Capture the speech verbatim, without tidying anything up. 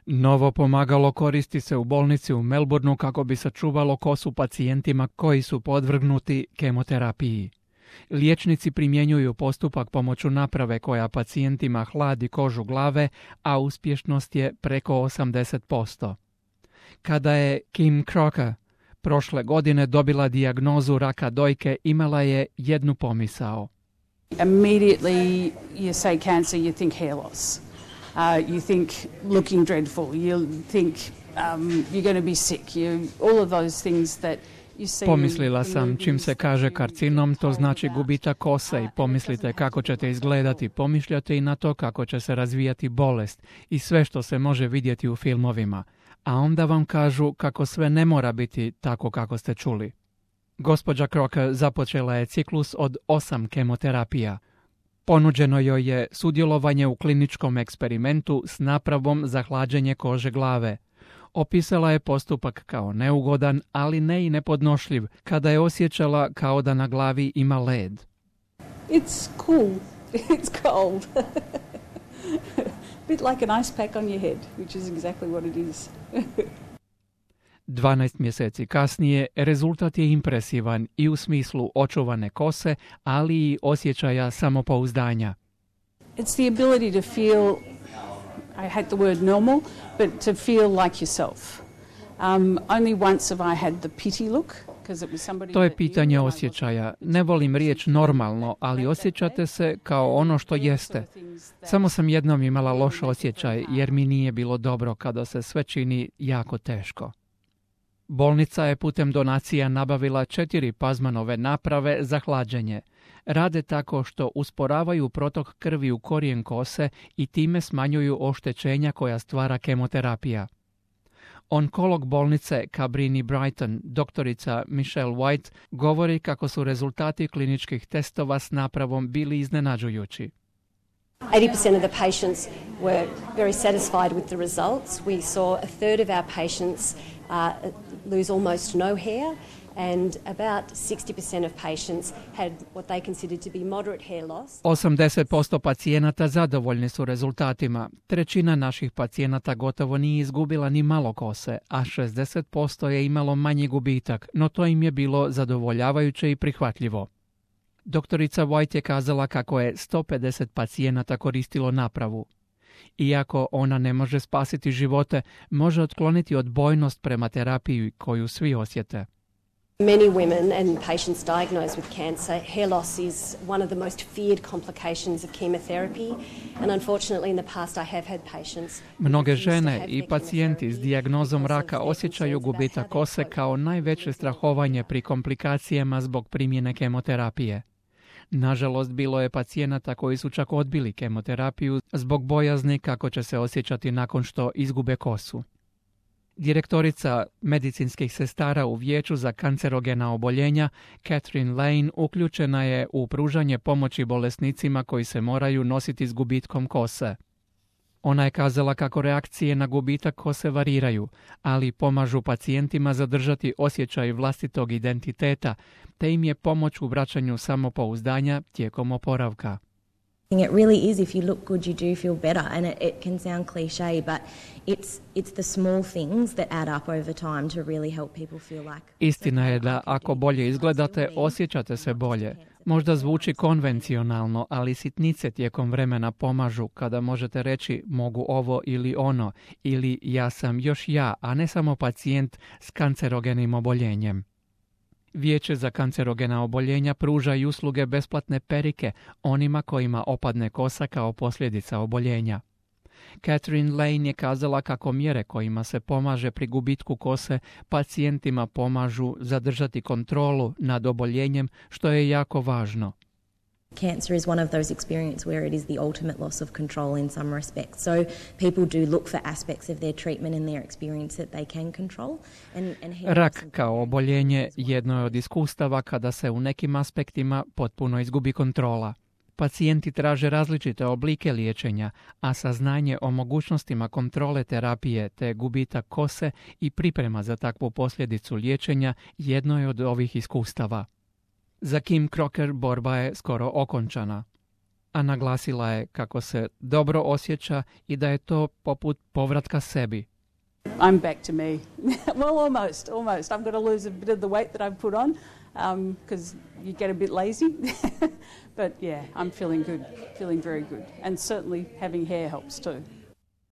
Novo pomagalo koristi se u bolnici u Melbourneu kako bi sačuvalo kosu pacijentima koji su podvrgnuti kemoterapiji. Liječnici primjenjuju postupak pomoću naprave koja pacijentima hladi kožu glave, a uspješnost je preko osamdeset posto. Kada je Kim Crocker prošle godine dobila dijagnozu raka dojke, imala je jednu pomisao. Immediately you say cancer, you think hair loss. Uh, you think looking dreadful. You think um, you're going to be sick. You, all of those things that you see. Pomislila sam, čim se kaže karcinom, to znači gubitak kose i pomislite kako ćete izgledati. Pomišljate i na to kako će se razvijati bolest i sve što se može vidjeti u filmovima. A onda vam kažu kako sve ne mora biti tako kako ste čuli. Gospođa Crocker započela je ciklus od osam kemoterapija. Ponuđeno joj je sudjelovanje u kliničkom eksperimentu s napravom za hlađenje kože glave. Opisala je postupak kao neugodan, ali ne i nepodnošljiv, kada je osjećala kao da na glavi ima led. It's cool. It's cold. Bit like an ice pack on your head, which is exactly what it is. dvanaest mjeseci kasnije rezultat je impresivan i u smislu očuvane kose, ali i osjećaja samopouzdanja. It's the ability to feel, I hate the word normal, but to feel like yourself. Um, only once have I had the pity look. To je pitanje osjećaja. Ne volim riječ normalno, ali osjećate se kao ono što jeste. Samo sam jednom imala loš osjećaj jer mi nije bilo dobro kada se sve čini jako teško. Bolnica je putem donacija nabavila četiri Pazmanove naprave za hlađenje. Rade tako što usporavaju protok krvi u korijen kose i time smanjuju oštećenja koja stvara kemoterapija. Onkolog bolnice Cabrini Brighton, doktorica Michelle White, govori kako su rezultati kliničkih testova s napravom bili iznenađujući. eighty percent of the patients were very satisfied with the results. We saw a third of our patients uh, lose almost no hair, and about sixty percent of patients had what they considered to be moderate hair loss. osamdeset posto pacijenata zadovoljni su rezultatima. Trećina naših pacijenata gotovo nije izgubila ni malo kose, a šezdeset posto je imalo manji gubitak, no to im je bilo zadovoljavajuće i prihvatljivo. Doktorica White je kazala kako je sto pedeset pacijenata koristilo napravu. Iako ona ne može spasiti živote, može otkloniti odbojnost prema terapiji koju svi osjete. Many women and patients diagnosed with cancer, hair loss is one of the most feared complications of chemotherapy, and unfortunately in the past I have had patients. Mnoge žene i pacijenti s dijagnozom raka osjećaju gubitak kose kao najveće strahovanje pri komplikacijama zbog primjene kemoterapije. Nažalost, bilo je pacijenata koji su čak odbili kemoterapiju zbog bojazni kako će se osjećati nakon što izgube kosu. Direktorica medicinskih sestara u Vijeću za kancerogena oboljenja, Catherine Lane, uključena je u pružanje pomoći bolesnicima koji se moraju nositi s gubitkom kose. Ona je kazala kako reakcije na gubitak kose variraju, ali pomažu pacijentima zadržati osjećaj vlastitog identiteta, te im je pomoć u vraćanju samopouzdanja tijekom oporavka. It really is, if you look good, you do feel better, and it, it can sound cliché, but it's it's the small things that add up over time to really help people feel like. Istina je da ako bolje izgledate, osjećate se bolje. Možda zvuči konvencionalno, ali sitnice tijekom vremena pomažu kada možete reći mogu ovo ili ono, ili ja sam još ja, a ne samo pacijent s kancerogenim oboljenjem. Vijeće za kancerogena oboljenja pruža i usluge besplatne perike onima kojima opadne kosa kao posljedica oboljenja. Catherine Lane je kazala kako mjere kojima se pomaže pri gubitku kose pacijentima pomažu zadržati kontrolu nad oboljenjem, što je jako važno. Cancer is one of those experiences where it is the ultimate loss of control in some respects. So people do look for aspects of their treatment and their experience that they can control. And, and Rak kao oboljenje jedno je od iskustava kada se u nekim aspektima potpuno izgubi kontrola. Pacijenti traže različite oblike liječenja, a saznanje o mogućnostima kontrole terapije te gubitak kose i priprema za takvu posljedicu liječenja jedno je od ovih iskustava. Za Kim Crocker borba je skoro okončana. A naglasila je kako se dobro osjeća i da je to poput povratka sebi. I'm back to me. Well, almost, almost. I'm going to lose a bit of the weight that I've put on because um, you get a bit lazy. But yeah, I'm feeling good, feeling very good. And certainly having hair helps too.